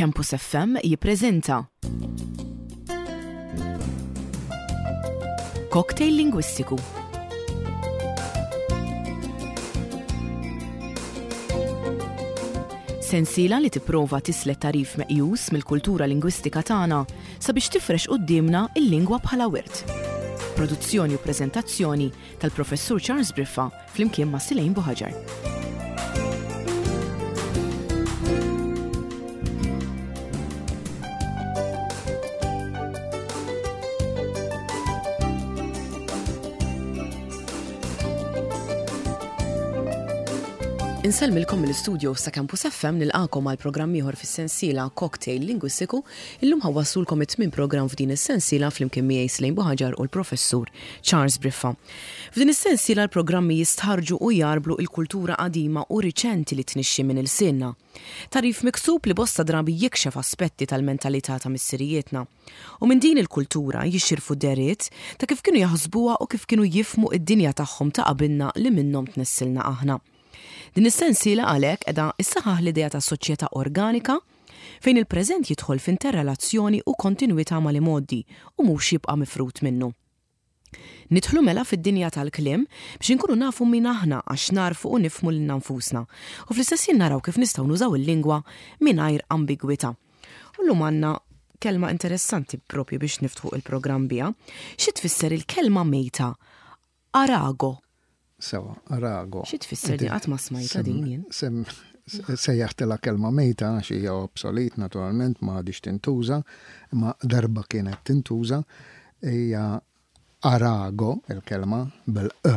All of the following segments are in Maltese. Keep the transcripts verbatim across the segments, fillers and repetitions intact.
Campus F M jippreżenta Cocktail Lingwistiku. Sensiela li tipprova tislet tagħrif meqjus mill-kultura lingwistika tagħna sabiex tifrex quddiemna il-lingwa bħala wirt. Produzzjoni u preżentazzjoni tal-Professur Charles Briffa flimkien ma' Silejn Buħaġar. Insellmilkom mill-istudio sa' Campus F M, nilqagħkom għal programm ieħor fis-sensiela Cocktail Lingwistiku. Illum ħa nwasslulkom it-tmien programm f'din is-sensiela flimkien miegħi Slejn Buħaġar u l-Professur Charles Briffa. F'din is-sensiela l-programmi jistħarġu u jarblu il-kultura qadima u riċenti li tnixxi minn ilsienna. Tagħrif miksub li bosta drabi jikxef aspetti tal-mentalità ta' missirijietna. U minn din il-kultura jixirfu dehriet ta' kif kienu jaħsbuha u kif kienu jifhmu id-dinja tagħhom ta' qabilna li minnhom tnissilna aħna. Din is-sensiela għalhekk qiegħda issaħħaħ l-idea ta' soċjetà organika fejn il-preżent jidħol f'interrelazzjoni u kontinwità mal-imgħoddi u mhux jibqa' mifrut minnu. Nidħlu mela fid-dinja tal-kliem biex inkunu nafu min aħna, għax narfu u nifhmu lilna nfusna. U fl-istess ħin naraw kif nistgħu nużaw il-lingwa mingħajr ambigwità. U llum għandna kelma interessanti propju biex niftħu il-programm biha. Xi tfisser il-kelma mejta? Arago. Sewa, arago. Xi tfisser di? Qatt ma smajta din jien. Sem, sejjaħtilha kelma mejta għax hija obsolet naturalment, ma għadix tintuża, imma darba kienet tintuża. Hija arago il-kelma bil-e,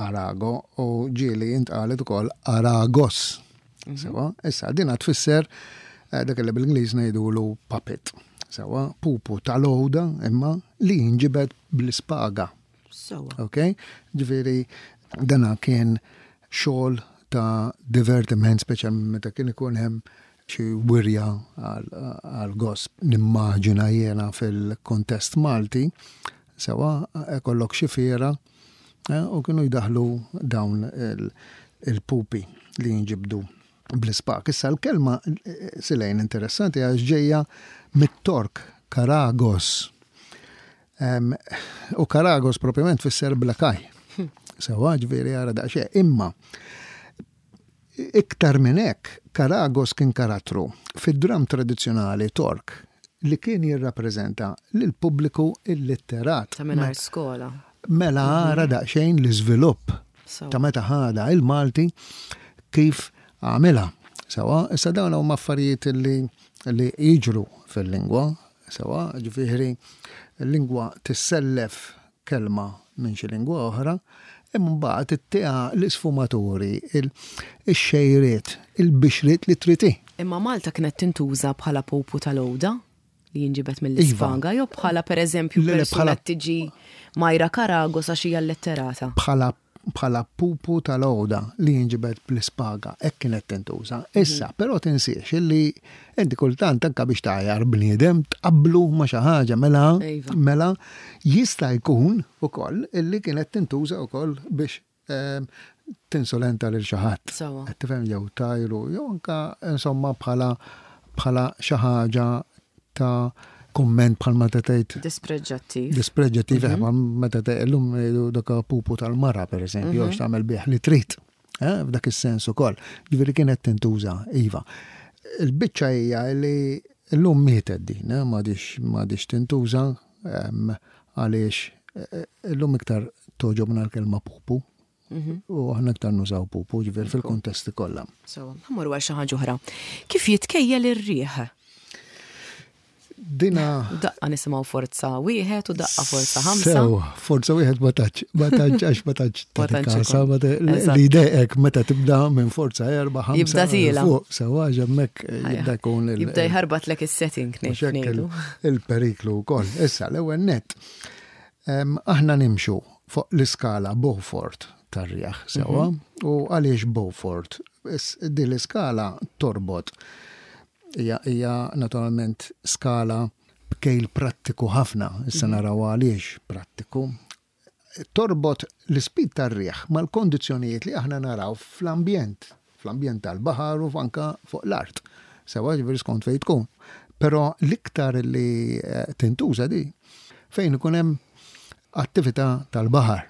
arago, u ġieli intqalet ukoll aragos. Mhm. Sewa, issa dina tfisser eh, dak li bil-Ingliż ngħidulu puppet. Sewa, pupu tal-għuda imma li jinġibed bl-ispaga. Sewa. Ok? Ġifieri dana kien xogħol ta' divertiment, speċjalment meta kien ikun hemm xi wirja għal gost. Nimmaġina jiena fil-kontest Malti, sewa, ikollok xi fiera eh, u kienu jdaħlu dawn il-pupi li jinġibdu bl-ispak. Issa l-kelma eh, silejn interessanti għax ġejja mit-Tork Karagos. U Karagos propjament fisser black eye. Sewa, ġifieri għara daqsxejn. Imma iktar minn hekk, Karagos kien karattru fid-dram tradizzjonali Tork li kien jirrappreżenta lil pubbliku illitterat. Ta' mingħajr skola. Mela għara daqsxejn l-iżvilupp ta' meta ħada il-Malti kif għamilha. Sewa, issa dawn huma affarijiet li li jiġru fil-lingwa, sewa, ġifieri l-lingwa tissellef kelma minn xi lingwa oħra, imma mbagħad ittiha l-isfumaturi, ix-xejriet, il-bixriet li trid. Imma Malta kienet tintuża bħala pupu tal-għuda li jinġibet mill-ispaga, jew bħala, pereżempju, persuna tiġi Majra Karagos għax hija letterata? Bħala bħala pupu tal-għuda li jinġibet bl-ispaga, hekk kienet tintuża. Issa, mhm. però tinsiex illi inti kultant anka biex tgħajjar bniedem tqablu ma' xi ħaġa, mela iva. mela jista' jkun ukoll illi kienet tintuża wkoll biex ehm, tinsolenta lil xi ħadd. Qed tifhem, jew tajru, jew anka insomma bħala bħala xi ħaġa ta' komment bħal meta tgħid Dispreġġattiv. Dispreġġattiv, mm -hmm. meta tgħid illum dak pupu tal-mara, pereżempju, mm -hmm. tagħmel bih li trid. Eh, f'dak is-sens ukoll. Ġifieri kienet tintuża, iva. Il-biċċa hija li llum mietet din, eh, m'għadix tintuża għaliex eh, illum iktar togħġobna l-kelma pupu. Mhm. U aħna iktar nużaw pupu, ġifieri fil-kontesti kollha. So, ħa mmorru għal xi ħaġa oħra. Kif jitkejjel ir-riħ? Dina. Daqqa nisimgħu forza wieħed u daqqa forza ħamsa. Sew, forza wieħed ma tantx, ma tantx għax ma tantx kasa, li dejqek meta tibda minn forza erba', ħamsa. Jibda tiela'. Fuq, sewa, hemmhekk jibda jkun il- Jibda jħarbatlek is-setting. Ngħidu. Il-periklu wkoll. Issa l-ewwel net. Aħna nimxu fuq l-iskala Beaufort tar-rjaħ, sewa, mhm. u għaliex Beaufort? Din l-iskala torbot hija hija naturalment skala b'kejl prattiku ħafna, issa mhm. naraw għaliex prattiku. Torbot l-speed tar-riħ mal-kondizzjonijiet li aħna naraw fl-ambjent, fl-ambjent tal-baħar u anka fuq l-art. Sewa, ġifieri skont fejn tkun. Però l-iktar li eh, tintuża di fejn ikun hemm attività tal-baħar.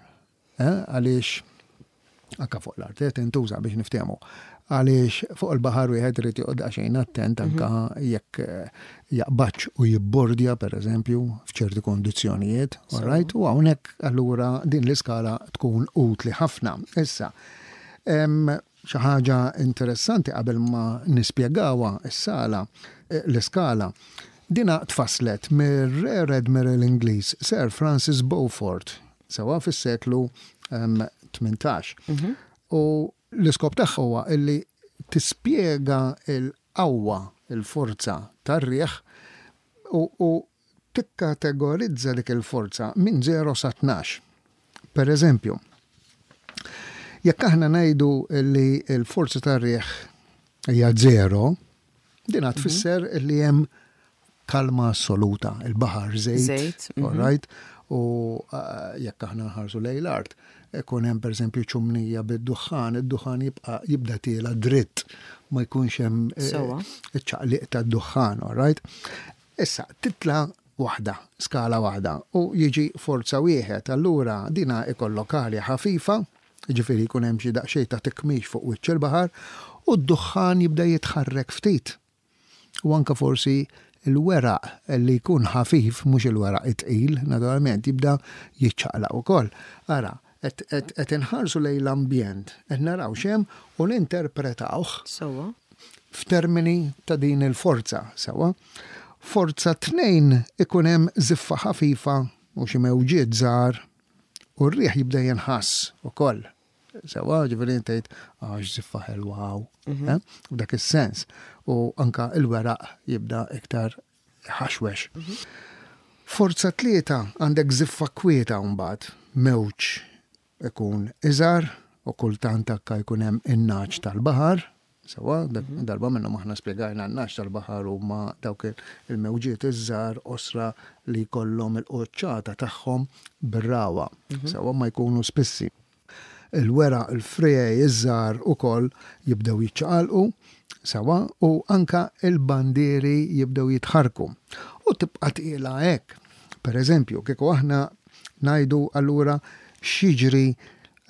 Eh, għaliex anka fuq l-art eh, tintuża biex niftehmu. Għaliex fuq il-baħar wieħed irid joqgħod daqsxejn attent anka jekk eh, jaqbadx u jibbordja pereżempju f'ċerti kondizzjonijiet, all right? U hawnhekk allura din l-iskala tkun utli ħafna. Issa, hemm xi ħaġa interessanti qabel ma nispjegawha s-sala, eh, l-iskala. Dina tfasslet mir-Rear Admiral Ingliż Sir Francis Beaufort, sewa fis-seklu em, tmintax. U l-iskop tagħha huwa illi tispjega il-qawwa, il-forza tar-riħ u, u tikkategorizza dik il-forza minn żero sa tnax. Per eżempju, jekk aħna ngħidu li l-forza tar-riħ hija żero, din tfisser li hemm kalma assoluta, il-baħar żejt, Żejt, mhm. all right? U uh, jekk aħna nħarsu lejn l-art, ikun hemm pereżempju ċumnija bid-duħħan, id-duħħan jibqa' jibda tiela dritt, ma jkunx hemm eh, Sewwa. iċ-ċaqliq tad-duħħan, all right? Issa, titla waħda, skala waħda, u jiġi forza wieħed, allura dina ikollok arja ħafifa, ġifieri jkun hemm xi daqsxejn ta' tikmix fuq wiċċ il-baħar, u d-duħħan jibda jitħarrek ftit. U anka forsi il-weraq li jkun ħafif, mhux il-weraq it-tqil, naturalment, jibda jiċċaqlaq ukoll. Ara, qed qed inħarsu lejn l-ambjent, qed naraw x'hemm u ninterpretawh Sewwa. f'termini ta' din il-forza, sewa. Forza tnejn ikun hemm żiffa ħafifa u xi mewġiet żgħar u r-riħ jibda jinħass ukoll. Sewa, ġifieri tgħid għax żiffa ħelwa hawn, eh? U dak is-sens. U anka il-weraq jibda iktar ħaxwex. Forza tlieta għandek żiffa kwieta mbagħad, mewġ ikun iżgħar u kultant anka jkun hemm in-nagħaġ tal-baħar. Sewa, dak- darba minnhom aħna spjegajna n-nagħaġ tal-baħar huma dawk il- il-mewġiet iż-żgħar osra li jkollhom il-qoċċata tagħhom bir-rawa. Sewa, ma jkunu spissi. Il-weraq, il-friegħi, iż-żgħar ukoll jibdew jiċċaqalqu, sewa, u anka il-bandieri jibdew jitħarku. U tibqa' tqila hekk. Per eżempju, kieku aħna ngħidu allura x'jiġri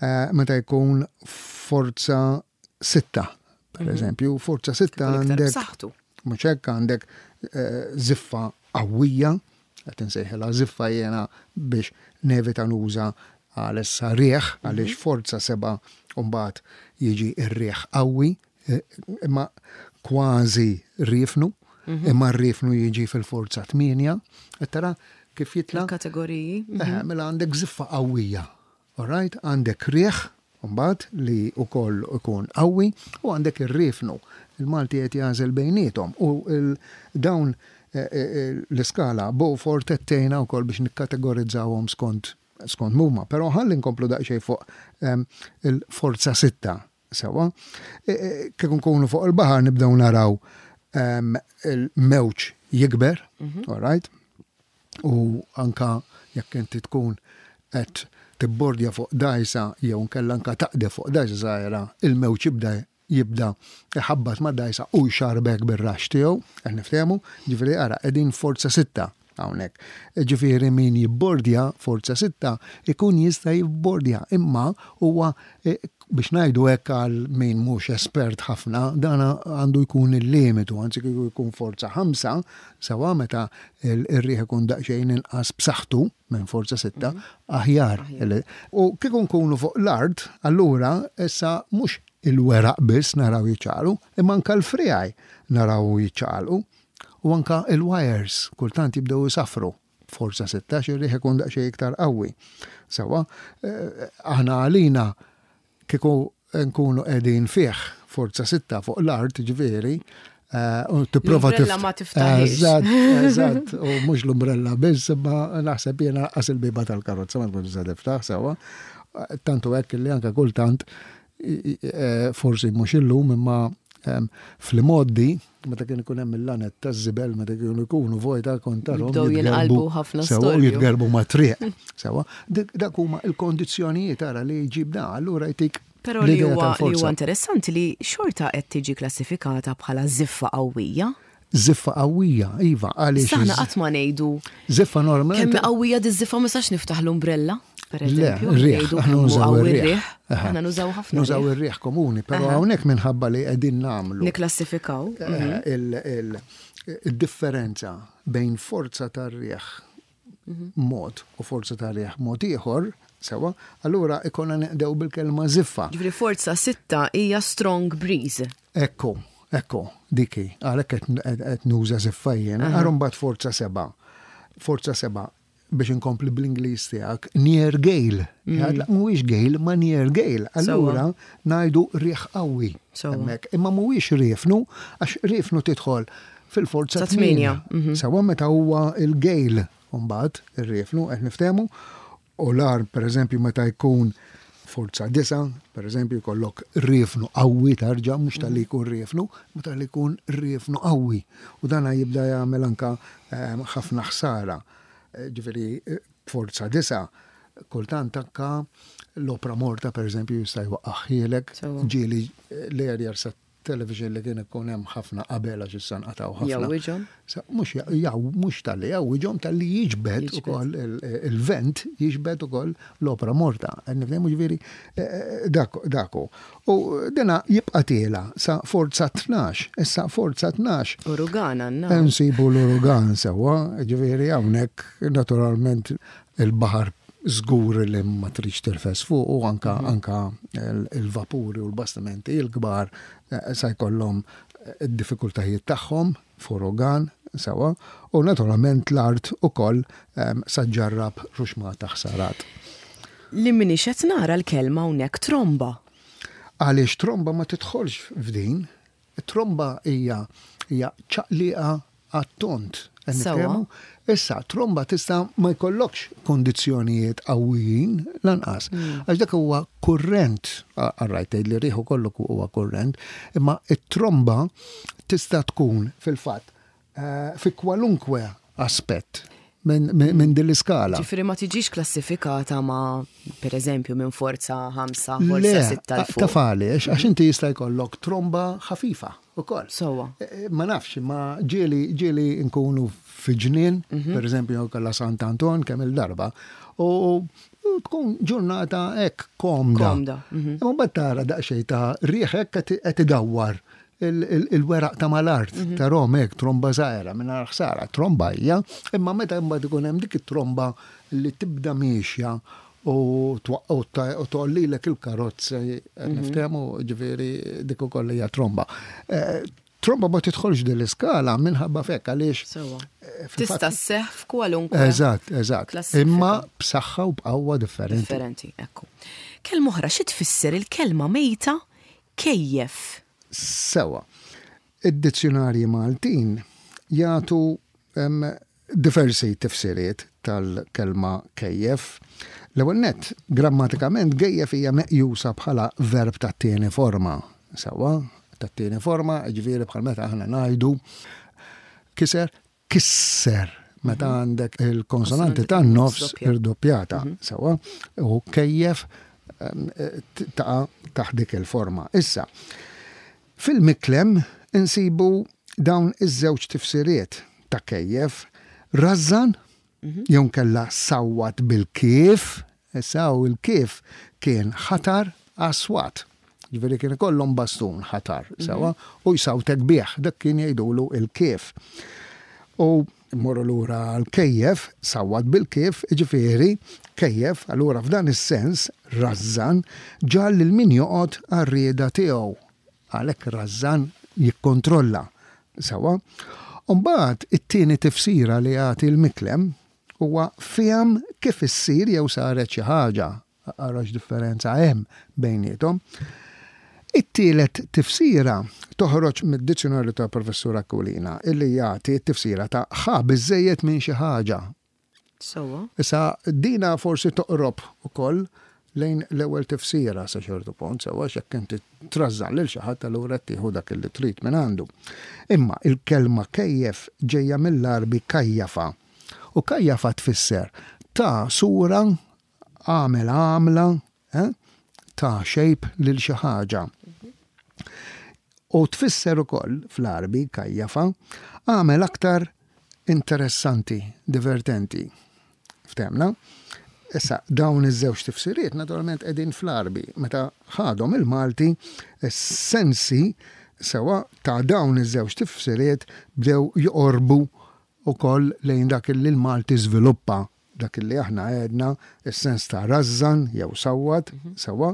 eh, meta jkun forza sitta. Per eżempju, forza sitta Ikun iktar għandek b'saħħtu. mhux hekk, għandek eh, ziffa qawwija, qed insejħilha ziffa jiena biex nevita nuża għalissa riħ, għaliex forza seba' mbagħad jiġi r-riħ qawwi, eh, imma kważi riefnu, imma r-riefnu jiġi fil-forza tmienja, qed tara kif jitla'? Il-kategoriji. Eh, mela għandek ziffa qawwija, all right? Għandek riħ, mbagħad li wkoll ikun qawwi, u għandek ir-riefnu. Il-Malti qed jagħżel bejniethom u il- dawn eh, eh, l-iskala Beaufort tgħinna wkoll biex nikkategorizzawhom skont skont muma. Però ħalli nkomplu daqsxejn fuq em, il-forza sitta. Sewa, E, e, kif nkunu fuq il-baħar nibdew naraw em, il-mewġ jikber, all right? U anka jekk inti tkun qed tibbordja fuq dajsa jew nkella anka taqde fuq dajsa żgħira, il-mewġ jibda jibda iħabbat ma' dajsa u jxarbek bir-rax tiegħu, qed niftehmu, ġifieri ara qegħdin forza sitta hawnhekk. Ġifieri min jibbordja forza sitta ikun jista' jibbordja, imma huwa eh, biex ngħidu hekk għal min mhux espert ħafna, dana għandu jkun il-limitu, anzi kieku jkun forza ħamsa, sewa meta il- ir-riħ ikun daqsxejn inqas b'saħħtu minn forza sitta, aħjar. U kieku nkunu fuq l-art, allura issa mhux il-weraq biss naraw jiċċaqalqu, imma anka l-friegħi naraw jiċċaqalqu. U anka il-wires kultant jibdew jisafru. Forza sitta ir-riħ ikun daqsxejn iktar qawwi. Sewa, eh, aħna għalina kieku nkunu qegħdin fih forza sitta fuq l-art, ġifieri, eh, u tipprova L-umbrella tift- ma tiftaħiex. Eżatt, eżatt, u mhux l-umbrella biss, imma naħseb jiena qas il-biba tal-karozza ma tkun tista' tiftaħ sewa. Tantu hekk li anke kultant i- i- eh, forsi mhux illum imma em, fl-modi meta kien ikun hemm il-lanet taż-żibel meta kienu jkunu vojta kont tarahom Jibdew jitgerbu jinqalbu ħafna sewa, u storju. jitgerbu ma' triq. Sewa, dik- dak huma il-kondizzjonijiet ara li jġib da, allura jtik Però li huwa li huwa interessanti li xorta qed tiġi klassifikata bħala żiffa qawwija. Żiffa qawwija, iva, għaliex. Aħna qatt ma ngħidu. Żiffa normali. Kemm qawwija diż-żiffa ma sax niftaħ l-umbrella, per eżempju. Le, riħ, aħna nużaw ir-riħ. Aħna nużaw ħafna. Nużaw ir-riħ komuni, però hawnhekk minħabba li qegħdin nagħmlu. Niklassifikaw. Il-differenza bejn forza tar-riħ mod u forza tar-riħ mod ieħor, sewa, allura ikonna neqdew bil-kelma żiffa. Ġifieri forza sitta hija strong breeze. Ekku, ekku, diki, għalhekk qed nuża żiffa jien, għar mbagħad forza seba'. Forza seba' biex inkompli bl-Ingliż tiegħek, near gale. Mhuwiex gale, ma near gale. Allura ngħidu riħ qawwi. Hemmhekk, imma mhuwiex riefnu, għax riefnu tidħol fil-forza tmienja. Sewa meta huwa il-gale mbagħad ir-riefnu qed niftehmu. U l-ar, per eżempju, meta jkun forza disa, per eżempju, jkollok riefnu qawwi tarġa, mhux tal-li jkun riefnu, ma tal-li jkun riefnu qawwi. U dana jibda jagħmel anka ħafna ħsara. Ġifieri, forza disa, kultant anka l-opra morta, per eżempju, jista' jwaqqaħħielek, ġieli l-erjar sa television li kien ikun hemm ħafna qabel għax issa nqatgħu ħafna. Jawwiġhom? Mhux jaw, mhux tal-li jawwiġhom, tal-li jiġbed ukoll il-vent, jiġbed ukoll l-opra morta. Nifhemu ġifieri daku. U dina jibqa' tiela sa forza tnax, issa forza tnax. Urugan għandna. Nsibu l-urugan sewwa, ġifieri hawnhekk naturalment il-baħar żgur li ma tridx tirfes fuq u anka anka il-vapuri u l-bastimenti il-kbar sa jkollhom id-diffikultajiet tagħhom f'urugan sewa u naturalment l-art ukoll sa ġarrab ruxmata ħsarat. Li minix qed nara l-kelma hawnhekk tromba. Għaliex tromba ma tidħolx f'din, tromba hija hija ċaqliqa għat-tont. Sewa. Issa, tromba tista' ma jkollokx kondizzjonijiet qawwijin lanqas. Għax dak huwa kurrent, għarrajt tgħid li riħu kollu huwa kurrent, imma it-tromba tista' tkun fil-fatt fi kwalunkwe aspett minn din l-iskala. Ġifieri ma tiġix klassifikata ma, per eżempju, minn forza ħamsa, forza sitta l fuq. Taf għaliex, għax inti jista' jkollok tromba ħafifa ukoll. Sewwa. Ma nafx, ma ġieli ġieli nkunu fi ġnien, per eżempju, kollha Sant Anton kemm il-darba, u tkun ġurnata hekk komda. Komda. Imma mbagħad tara daqsxejn ta' riħ hekk qed idawwar il-weraq ta' mal-art, ta' rom hekk, tromba żgħira mingħajr ħsara, tromba hija, imma meta mbagħad ikun hemm dik it-tromba li tibda miexja u tgħollilek il-karozza, niftehmu, ġifieri dik ukoll hija tromba. Tromba ma tidħolx din l-iskala minħabba fekk għaliex. Sewwa. Tista' sseħħ f'kwalunkwe. Eżatt, eżatt. Imma b'saħħa u b'qawwa differenti. Differenti, ekku. Kelma oħra, xi tfisser il-kelma mejta kejjef? Sewa. Id-dizzjonarji Maltin jagħtu diversi tifsiriet tal-kelma kejjef. L-ewwel nett, grammatikament gejjef hija meqjusa bħala verb tat-tieni forma. Sewa, tat-tieni forma, ġifieri bħal meta aħna ngħidu kiser, kisser, meta għandek il-konsonanti tan-nofs irdoppjata. Sewa, u kejjef taqa' taħt dik il-forma. Issa, fil-miklem insibu dawn iż-żewġ tifsiriet ta' kejjef, rażżan jew kella sawwat bil-kif, issa u l-kif kien ħatar aswat. Ġifieri kien ikollhom bastun ħatar, sewa, u jsawtek bih, dak kien jgħidulu il-kif. U mmorru lura l-kejjef, sawwat bil-kif, ġifieri kejjef, allura f'dan is-sens rażżan ġal lil min joqgħod għar-rieda tiegħu. Għalhekk rażżan jikkontrolla, sewa. Mbagħad it-tieni tifsira li jagħti l-miklem huwa fihom kif issir jew saret xi ħaġa. Ara x'differenza hemm bejniethom. It-tielet tifsira toħroġ mid-dizzjonarju ta' Professur Aquilina illi jagħti t-tifsira ta' ħa biżejjed minn xi ħaġa. Sewa. Issa dina forsi toqrob ukoll lejn l-ewwel tifsira sa ċertu punt, sewa x'hekk inti trażżan lil xi ħadd allura tieħu dak li trid minn għandu. Imma il-kelma kejjef ġejja mill-Arbi kajjafa. U kajjafa tfisser ta' sura, għamel għamla, eh? ta' shape lil xi ħaġa. U tfisser ukoll fl-Arbi kajjafa għamel aktar interessanti, divertenti. Ftemna? Issa, dawn iż-żewġ tifsiriet naturalment qegħdin fl-Arbi. Meta ħadhom il-Malti, is-sensi sewa ta' dawn iż-żewġ tifsiriet bdew joqorbu ukoll lejn dak li l-Malti żviluppa, dak li aħna għedna is-sens ta' rażżan jew sawwat, sewa,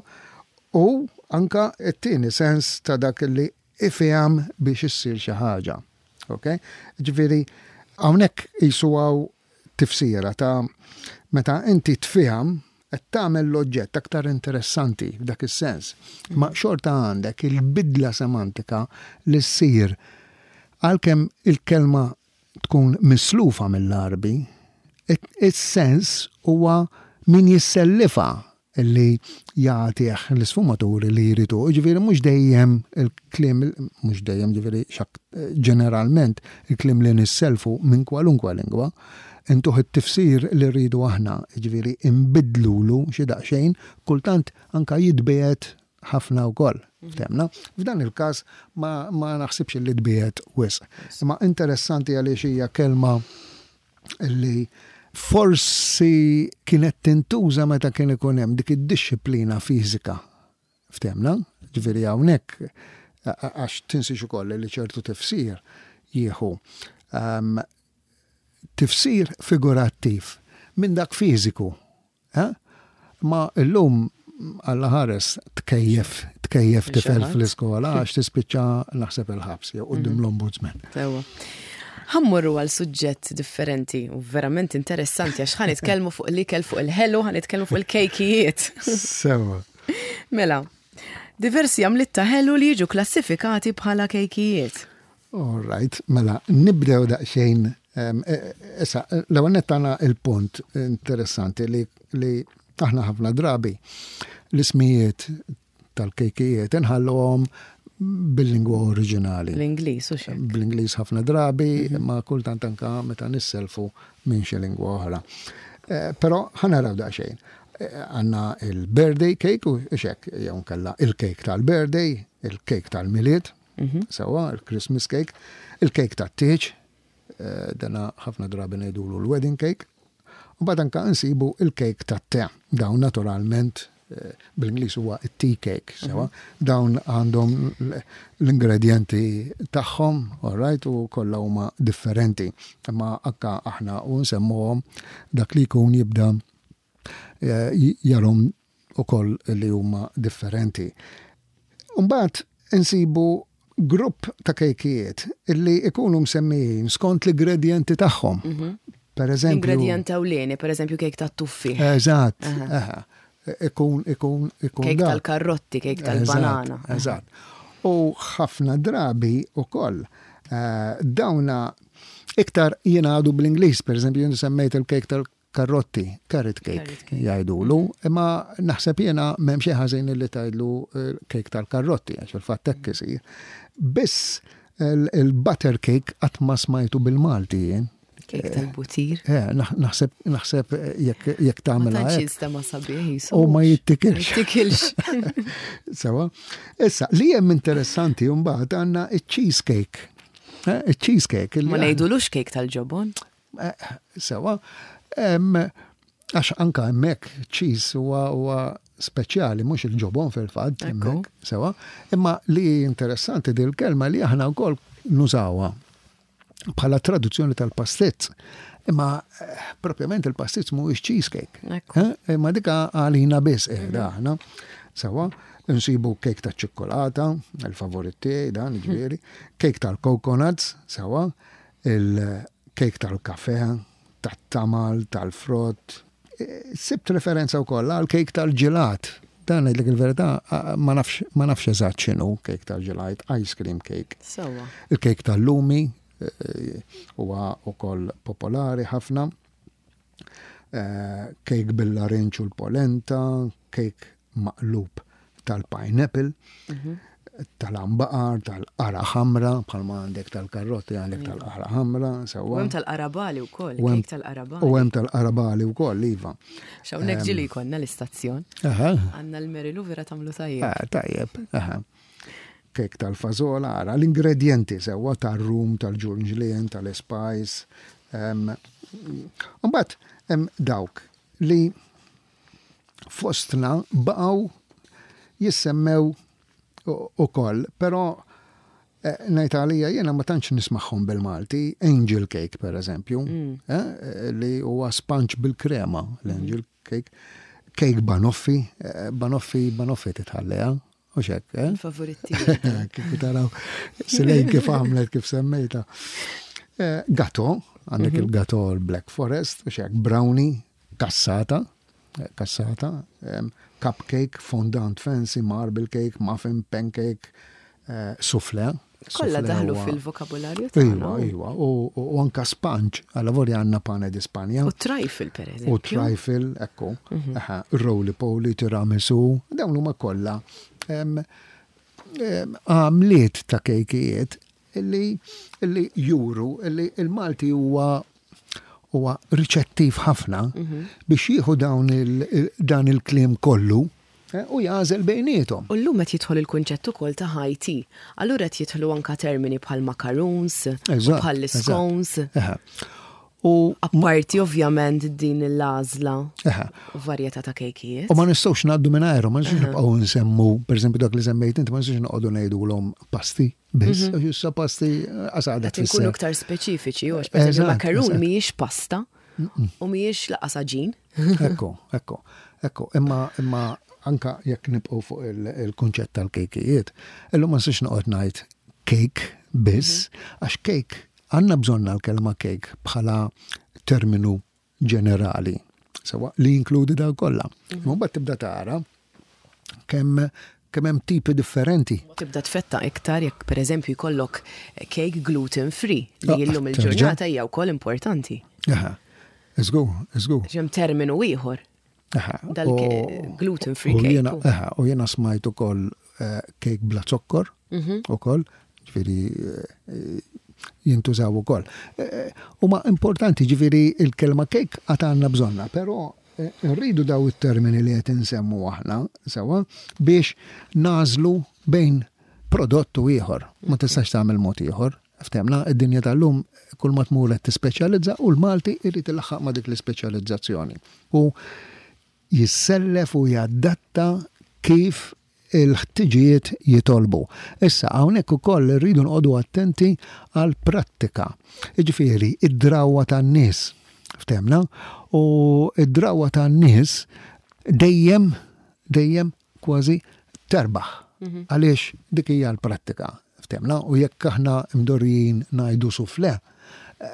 u anka t-tieni sens ta' dak li ifhem biex issir xi ħaġa. Ok? Ġifieri hawnhekk qisu hawn tifsira ta' meta inti tfiham qed tagħmel l-oġġett aktar interessanti f'dak is-sens. Ma xorta għandek il-bidla semantika li ssir għalkemm il-kelma tkun mislufa mill-Arbi, is-sens huwa min jissellifa li jagħtih l-isfumaturi li jridu. Ġifieri mhux dejjem il-kliem, mhux dejjem ġifieri xak ġeneralment il-kliem li nisselfu minn kwalunkwe lingwa, intuh it-tifsir li rridu aħna, ġifieri imbidlulu xi daqsxejn, kultant anka jitbiegħed ħafna wkoll. Ftemna? F'dan il-każ ma, ma naħsibx li tbiegħed wisq. Imma interessanti għaliex hija kelma li forsi kienet tintuża meta kien ikun hemm dik id-dixxiplina fiżika. Ftemna? Ġifieri hawnhekk għax tinsiex ukoll li ċertu tifsir jieħu um, tifsir figurattiv minn dak fiżiku. Eh? Ma illum Alla ħares tkejjef, tkejjef tifel fl-iskola għax tispiċċa naħseb il-ħabs jew quddiem mhm. l-ombudsman. Sewa. Ħa mmorru għal suġġett differenti u verament interessanti għax ħa nitkellmu fuq l-ikel, fuq il-ħelu, ħa nitkellmu fuq il-kejkijiet. Sewa. Mela, diversi għamliet ta' ħelu li jiġu klassifikati bħala kejkijiet. All right, mela, nibdew daqsxejn. E, issa, l-ewwel nett il-punt interessanti li, li aħna ħafna drabi l-ismijiet tal-kejkijiet inħalluhom bil-lingwa oriġinali. L-Ingliż u xek. Bl-Ingliż ħafna drabi, mhm. ma kultant anka meta nisselfu minn xi lingwa oħra. Eh, però ħa naraw daqsxejn. Eh, għandna il-birthday cake u xek, jew kella il-cake tal-birthday, il-cake tal-Milied, mhm. sewa, il-Christmas cake, il-cake tat-tieġ, eh, dana ħafna drabi ngħidulu l-wedding cake, u mbagħad anka nsibu il-cake tat-te. Dawn naturalment eh, bil-Ingliż huwa tea cake, sewa. Mhm. Dawn għandhom l-ingredienti tagħhom, all right, u kollha huma differenti. Imma anka aħna u nsemmuhom dak li jkun jibda eh, jarahom ukoll li huma differenti. Mbagħad insibu grupp ta' kejkijiet illi ikunu msemmijin skont l-ingredienti tagħhom. Mhm. Per eżempju. Ingredient ewlieni, per eżempju kejk ta' tuffi. Eżatt. Ikun, ikun, ikun. Kejk tal-karrotti, kejk tal-banana. Eżatt. U ħafna drabi u koll. Eh, dawna iktar jingħadu bl-Ingliż, per eżempju, jien semmejt il-kejk tal-karrotti, carrot cake, jgħidulu, imma naħseb jiena m'hemm xi ħażin li tgħidlu kejk tal-karrotti, għax il-fatt hekk isir. Biss il-butter cake qatt ma smajtu bil-Malti jien. Kejk tal-butir. Eh, naħseb naħseb jekk jekk tagħmel Ma tantx jinstema' sabiħ jisu. U ma jittikilx. Jittikilx. Sewa. Issa, li hemm interessanti mbagħad għandna iċ-cheesecake. Eh, il-cheesecake. Ma ngħidulux kejk tal-ġobon. Eh, sewa. Għax anka hemmhekk cheese huwa speċjali, mhux il-ġobon fil-fatt, hemmhekk, sewa. Imma li interessanti dil-kelma li aħna wkoll nużawha bħala traduzzjoni tal-pastizz. Imma eh, propjament il-pastizz mhuwiex cheesecake. Eh, imma dika għalina biss qiegħda mhm. aħna. Sewa, nsibu kejk ta' ċikkolata, il-favorit tiegħi dan ġifieri, kejk tal-coconuts, sewa, il-kejk tal-kafe, tat-tamal, tal-frott. Eh, sibt referenza wkoll għal kejk tal-ġelat. Dan ngħidlek il-verità ma nafx ma nafx eżatt x'inhu kejk tal-ġelat, ice cream cake. Sewa. Il-kejk tal-lumi eh, huwa wkoll popolari ħafna. Eh, kejk bil-larinġ u l-polenta, kejk maqlub tal-pineapple. Mhm. tal-ambaqar, tal-qara ħamra, bħalma għandek tal-karrotti għandek tal-qara ħamra, sewwa. U hemm tal-qarabali wkoll, kejk tal-qarabali. U hemm tal-qarabali wkoll, iva. X'hawnhekk ġieli jkollna l-istazzjon. Għandna l-Merilu vera tagħmlu tajjeb. Eh, tajjeb, aha. Kejk tal-fażola, ara l-ingredienti sewwa tar-rum, tal-ġulġlien, tal-spice. Mbagħad hemm dawk li fostna baqgħu jissemmew ukoll, però ngħid għalija jiena ma tantx nismagħhom bil-Malti, angel cake per eżempju, li huwa sponge bil-krema, l-angel cake, cake banoffi, banoffi, banoffi titħalleha, u xek, eh? Favorit tiegħi. Kif taraw, Silejn kif għamlet, kif semmejta. Gato, għandek il-gato l-Black Forest, u xek, brownie, cassata, cassata, cupcake, fondant fancy, marble cake, muffin, pancake, soufflé. Kollha daħlu fil-vokabularju tagħna. Iva, iva, u anka sponge, għalla vorja għandna pane di Spanja. U trifle, per eżempju. U trifle, ekku, roly poly, tiramisu, dawn huma kollha għamliet ta' kejkijiet illi juru illi il-Malti huwa huwa riċettiv ħafna biex jieħu dawn dan il-kliem kollu u jagħżel bejniethom. U llum qed jidħol il-kunċett ukoll ta' high tea. Allura qed jidħlu anka termini bħal macaroons, bħal scones. U apparti ovvjament din l-għażla u varjetà ta' kejkijiet. U ma nistgħux ngħaddu mingħajrhom, ma nistgħux nibqgħu nsemmu, pereżempju dak li semmejt inti, ma nistgħux noqogħdu ngħidulhom pasti biss, għax issa pasti għasadet Qed inkunu aktar speċifiċi, għax pereżempju macaroon mhijiex pasta u mhijiex laqas għaġin. Ekku, ekku, ekku, imma imma anka jekk nibqgħu fuq il-kunċett tal-kejkijiet, illum ma nistgħux noqgħod ngħid cake biss, għax cake għandna bżonna l-kelma cake bħala terminu ġenerali, sewa li jinkludi daw kollha. Imma mbagħad tibda tara kemm kemm hemm tipi differenti. Tibda tfetta iktar jekk pereżempju jkollok cake gluten free li llum il-ġurnata hija wkoll importanti. Aha. Iżgur, iżgur. Hemm terminu ieħor. Dal gluten free cake. Aha, u jiena smajt ukoll cake bla zokkor ukoll, ġifieri jintużaw ukoll. Huma importanti, ġifieri il-kelma cake għad għandna bżonna, però rridu daw it-termini li qed insemmu aħna sewa biex nażlu bejn prodott u ieħor. Ma tistax tagħmel mod ieħor. Ftemna, id-dinja tal-lum kull ma tmur qed tispeċjalizza u l-Malti irid ilaħħaq ma' dik l-ispeċjalizzazzjoni. U jissellef u jadatta kif il-ħtiġijiet jitolbu. Issa hawnhekk ukoll irridu nqogħdu attenti għal prattika. Jiġifieri id-drawwa tan-nies. Ftemna, u id-drawwa tan-nies dejjem dejjem kważi terbaħ. Għaliex dik hija l-prattika. Ftemna, u jekk aħna mdorrijin ngħidu soufflé,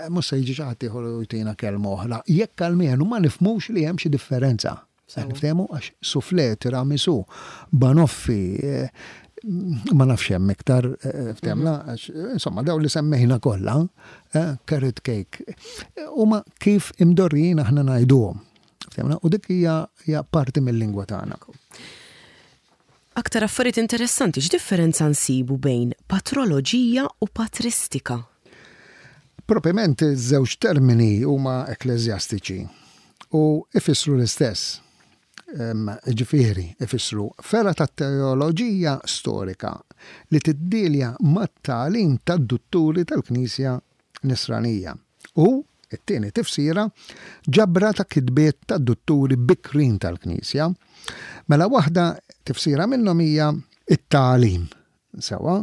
mhux se jiġi xi ħadd ieħor u jtina kelma oħra. Jekk almenu ma nifhmux li hemm xi differenza. Niftehmu għax soufflé, tiramisu, banoffi, ma nafx hemm iktar, ftehmna, għax insomma daw li semmejna kollha, carrot cake, huma kif imdorrijin aħna ngħiduhom. Ftehmna, u dik hija parti mill-lingwa tagħna. Aktar affarijiet interessanti, x'differenza nsibu bejn patroloġija u patristika? Propriament iż-żewġ termini huma ekkleżjastiċi u ifissru l-istess. Ġifieri, ifissru fera ta' teoloġija storika li tiddilja mat-tagħlim tad-dutturi tal-Knisja Nisranija. U it-tieni tifsira ġabra ta' kitbiet tad-dutturi bikrin tal-Knisja. Mela waħda tifsira minnhom hija it-tagħlim sewa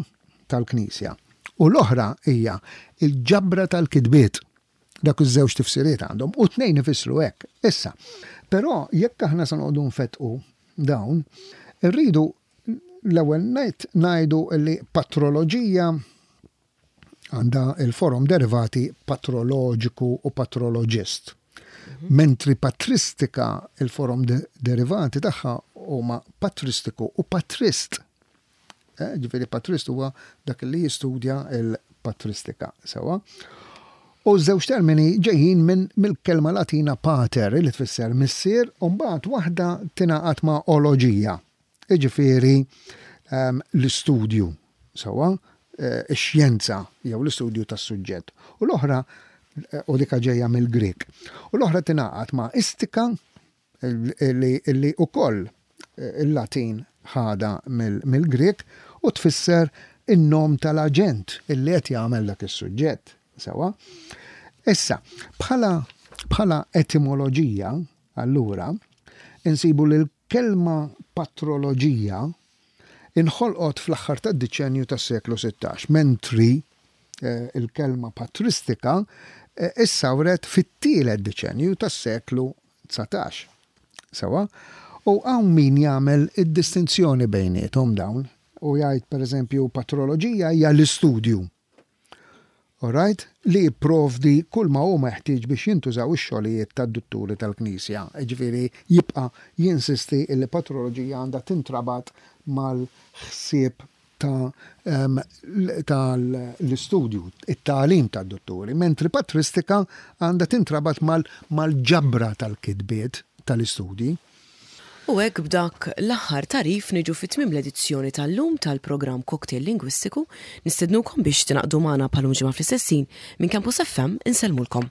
tal-Knisja. U l-oħra hija il-ġabra tal-kitbiet. Dak iż-żewġ tifsiriet għandhom u tnejn ifissru hekk. Issa, però jekk aħna se noqogħdu nfetqu dawn, irridu l-ewwel ngħid ngħidu li patroloġija għandha il-forum derivati patroloġiku u patroloġist. Mentri patristika il-forum derivati tagħha huma patristiku u patrist. Ġifieri patrist huwa dak li jistudja il-patristika, sewa. U żewġ termini ġejjin minn mill-kelma Latina pater li tfisser missier, u mbagħad waħda tingħaqad ma' oloġija. Jiġifieri um, l-istudju, sewwa, eh, ix-xjenza jew l-istudju tas-suġġett. U l-oħra eh, u dika ġejja mill-Grek. U l-oħra tingħaqad ma' istika li, li ukoll eh, il-Latin ħada mill-Grek u tfisser in-nom tal-aġent illi qed jagħmel dak is-suġġett. Sewwa. Issa, bħala bħala etimoloġija, allura, insibu li l-kelma patroloġija inħolqot fl-aħħar tad-diċenju tas-seklu sittax, mentri eh, il-kelma patristika eh, issawret fit-tielet diċenju tas-seklu dsatax. Sewwa? U hawn min jagħmel id-distinzjoni bejniethom dawn u jgħid, pereżempju, patroloġija hija l-istudju. Alright? Li jipprovdi kull ma hu meħtieġ biex jintużaw ix-xogħlijiet tad-dutturi tal-Knisja. Ġifieri jibqa' jinsisti li patroloġija għandha tintrabat mal-ħsieb ta' tal-istudju, it-tagħlim tad-dutturi, mentri patristika għandha tintrabat mal-ġabra tal-kitbiet tal-istudji. U hekk b'dak l-aħħar tagħrif niġu fi tmiem l-edizzjoni tal-lum tal-programm Cocktail Lingwistiku. Nistednukom biex tingħaqdu magħna bħal ġimgħa fl-istess ħin. Minn Campus F M insellmulkom.